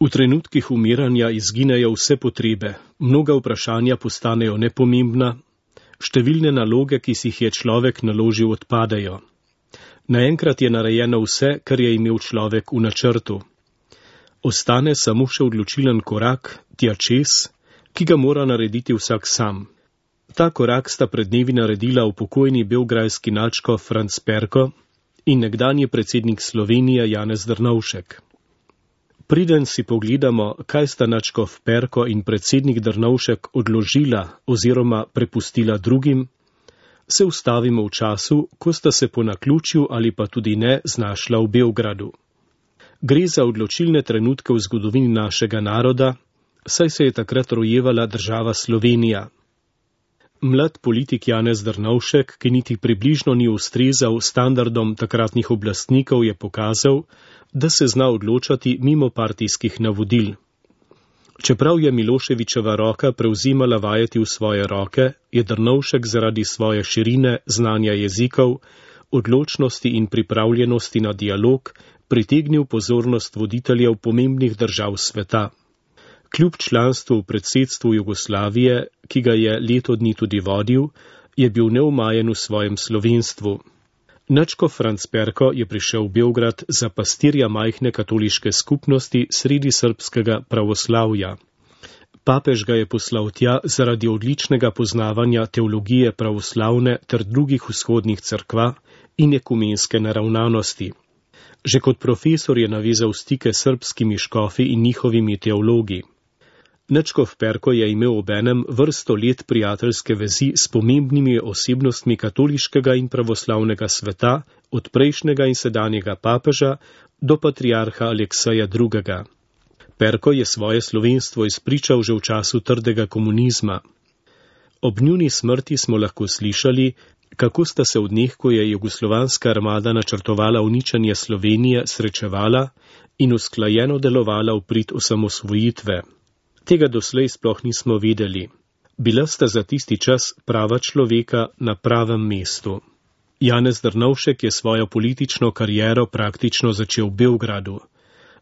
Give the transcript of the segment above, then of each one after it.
V trenutkih umiranja izginejo vse potrebe, mnoga vprašanja postanejo nepomembna, številne naloge, ki si jih je človek naložil, odpadejo. Naenkrat je narejeno vse, kar je imel človek v načrtu. Ostane samo še odločilen korak, tja čez, ki ga mora narediti vsak sam. Ta korak sta pred dnevi naredila upokojeni beograjski nadškof Franc Perko in nekdanji predsednik Slovenije Janez Drnovšek. Preden si pogledamo, kaj sta nadškof Perko in predsednik Drnovšek odložila oziroma prepustila drugim, se ustavimo v času, ko sta se po naključju ali pa tudi ne znašla v Beogradu. Gre za odločilne trenutke v zgodovini našega naroda, saj se je takrat rojevala država Slovenija. Mlad politik Janez Drnovšek, ki niti približno ni ustrezal standardom takratnih oblastnikov, je pokazal, da se zna odločati mimo partijskih navodil. Čeprav je Miloševićeva roka prevzimala vajeti v svoje roke, je Drnovšek zaradi svoje širine, znanja jezikov, odločnosti in pripravljenosti na dialog pritegnil pozornost voditeljev pomembnih držav sveta. Kljub članstvu v predsedstvu Jugoslavije, ki ga je leto dni tudi vodil, je bil neumajen v svojem slovenstvu. Nadškof Franc Perko je prišel v Beograd za pastirja majhne katoliške skupnosti sredi srbskega pravoslavja. Papež ga je poslal tja zaradi odličnega poznavanja teologije pravoslavne ter drugih vzhodnih cerkva in ekumenske naravnanosti. Že kot profesor je navezal stike s srbskimi škofi in njihovimi teologi. Nadškof Perko je imel obenem vrsto let prijateljske vezi s pomembnimi osebnostmi katoliškega in pravoslavnega sveta, od prejšnjega in sedanjega papeža do patriarha Alekseja II. Perko je svoje slovenstvo izpričal že v času trdega komunizma. Ob njuni smrti smo lahko slišali, kako sta se v dneh, ko je jugoslovanska armada načrtovala uničenje Slovenije, srečevala in usklajeno delovala v prid osamosvojitve. Tega doslej sploh nismo vedeli. Bila sta za tisti čas prava človeka na pravem mestu. Janez Drnovšek je svojo politično kariero praktično začel v Beogradu.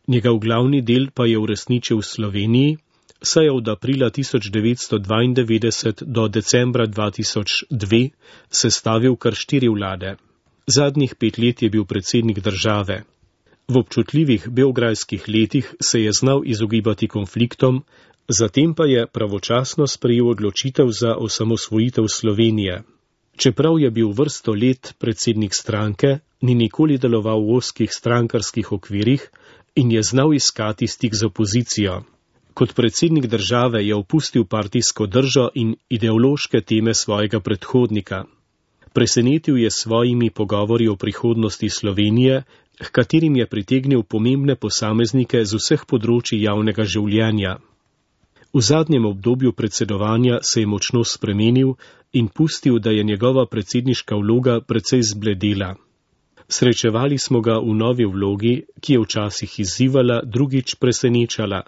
Njegov glavni del pa je uresničil v Sloveniji, saj je od aprila 1992 do decembra 2002 sestavil kar 4 vlade. Zadnjih 5 let je bil predsednik države. V občutljivih beograjskih letih se je znal izogibati konfliktom, zatem pa je pravočasno sprejel odločitev za osamosvojitev Slovenije. Čeprav je bil vrsto let predsednik stranke, ni nikoli deloval v ozkih strankarskih okvirih in je znal iskati stik z opozicijo. Kot predsednik države je opustil partijsko držo in ideološke teme svojega predhodnika. Presenetil je svojimi pogovori o prihodnosti Slovenije, h katerim je pritegnil pomembne posameznike z vseh področij javnega življenja. V zadnjem obdobju predsedovanja se je močno spremenil in pustil, da je njegova predsedniška vloga precej zbledela. Srečevali smo ga v novi vlogi, ki je včasih izzivala, drugič presenečala.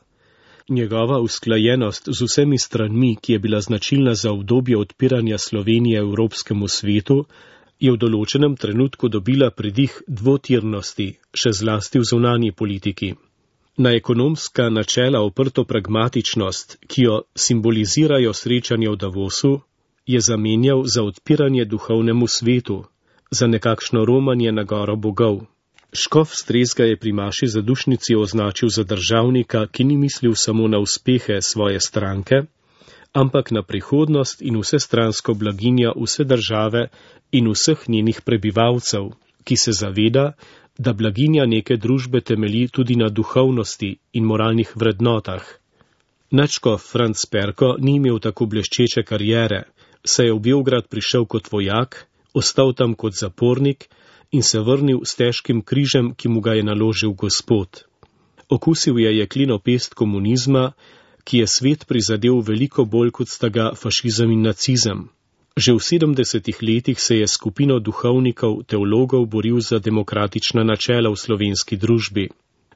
Njegova usklajenost z vsemi stranmi, ki je bila značilna za obdobje odpiranja Slovenije evropskemu svetu, je v določenem trenutku dobila pridih dvotirnosti, še zlasti v zunanji politiki. Na ekonomska načela oprto pragmatičnost, ki jo simbolizirajo srečanja v Davosu, je zamenjal za odpiranje duhovnemu svetu, za nekakšno romanje na goro bogov. Škof Strezga je pri maši zadušnici označil za državnika, ki ni mislil samo na uspehe svoje stranke, ampak na prihodnost in vsestransko blaginjo vse države in vseh njenih prebivalcev, ki se zaveda, da blaginja neke družbe temelji tudi na duhovnosti in moralnih vrednotah. Nadškof Franc Perko ni imel tako bleščeče kariere, saj je v Beograd prišel kot vojak, ostal tam kot zapornik in se vrnil s težkim križem, ki mu ga je naložil Gospod. Okusil je jekleno pest komunizma, ki je svet prizadel veliko bolj kot sta ga fašizem in nacizem. Že v 70 letih se je skupino duhovnikov, teologov boril za demokratična načela v slovenski družbi.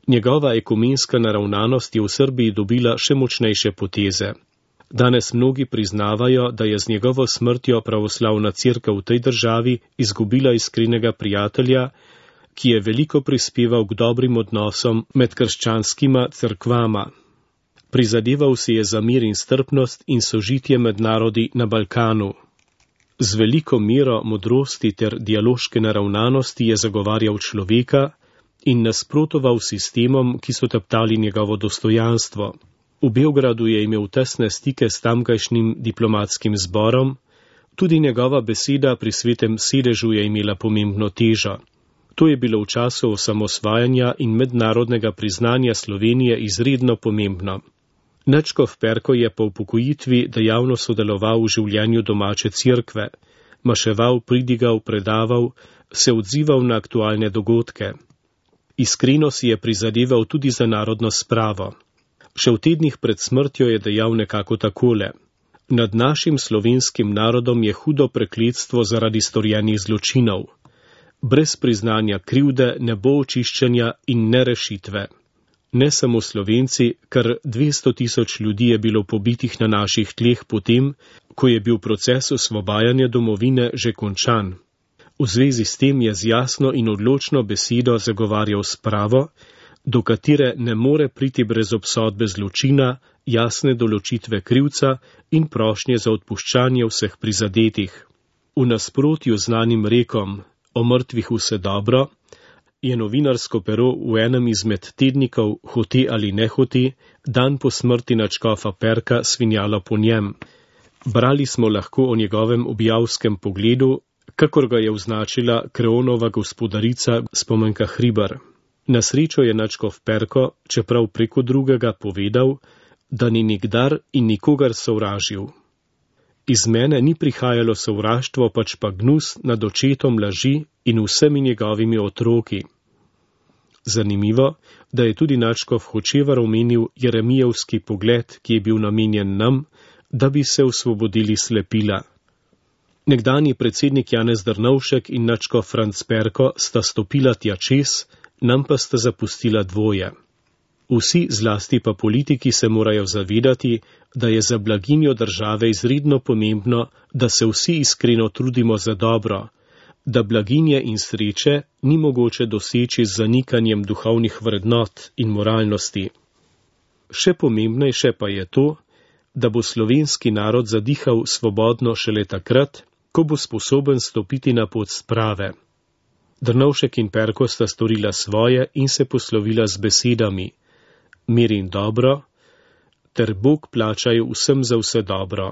Njegova ekumenska naravnanost je v Srbiji dobila še močnejše poteze. Danes mnogi priznavajo, da je z njegovo smrtjo pravoslavna cerkev v tej državi izgubila iskrenega prijatelja, ki je veliko prispeval k dobrim odnosom med krščanskima cerkvama. Prizadeval si je za mir in strpnost in sožitje med narodi na Balkanu. Z veliko mero modrosti ter dialoške naravnanosti je zagovarjal človeka in nasprotoval sistemom, ki so teptali njegovo dostojanstvo. V Beogradu je imel tesne stike s tamkajšnjim diplomatskim zborom, tudi njegova beseda pri svetem sedežu je imela pomembno težo. To je bilo v času osamosvajanja in mednarodnega priznanja Slovenije izredno pomembno. Načkov Perko je po upokojitvi dejavno sodeloval v življenju domače cerkve, maševal, pridigal, predaval, se odzival na aktualne dogodke. Iskreno si je prizadeval tudi za narodno spravo. Še v tednih pred smrtjo je dejal nekako takole: Nad našim slovenskim narodom je hudo prekletstvo zaradi storjenih zločinov. Brez priznanja krivde ne bo očiščenja in ne rešitve. Ne samo Slovenci, kar 200 000 ljudi je bilo pobitih na naših tleh potem, ko je bil proces osvobajanja domovine že končan. V zvezi s tem je z jasno in odločno besedo zagovarjal spravo, do katere ne more priti brez obsodbe zločina, jasne določitve krivca in prošnje za odpuščanje vseh prizadetih. V nasprotju z znanim rekom o mrtvih vse dobro, je novinarsko pero v enem izmed tednikov, hote ali nehote, dan po smrti nadškofa Perka svinjalo po njem. Brali smo lahko o njegovem objavskem pogledu, kakor ga je označila Kreonova gospodarica Spomenka Hribar. Na srečo je nadškof Perko, čeprav preko drugega, povedal, da ni nikdar in nikogar sovražil. Iz mene ni prihajalo sovraštvo, pač pa gnus nad očetom laži in vsemi njegovimi otroki. Zanimivo, da je tudi nadškof Hočevar omenil Jeremijevski pogled, ki je bil namenjen nam, da bi se osvobodili slepila. Nekdanji predsednik Janez Drnovšek in nadškof Franc Perko sta stopila tja čez, nam pa sta zapustila dvoje. Vsi, zlasti pa politiki, se morajo zavedati, da je za blaginjo države izredno pomembno, da se vsi iskreno trudimo za dobro, da blaginje in sreče ni mogoče doseči z zanikanjem duhovnih vrednot in moralnosti. Še pomembnejše pa je to, da bo slovenski narod zadihal svobodno šele takrat, ko bo sposoben stopiti na pot sprave. Drnovšek in Perko sta storila svoje in se poslovila z besedami: mir in dobro, ter Bog plačaj vsem za vse dobro.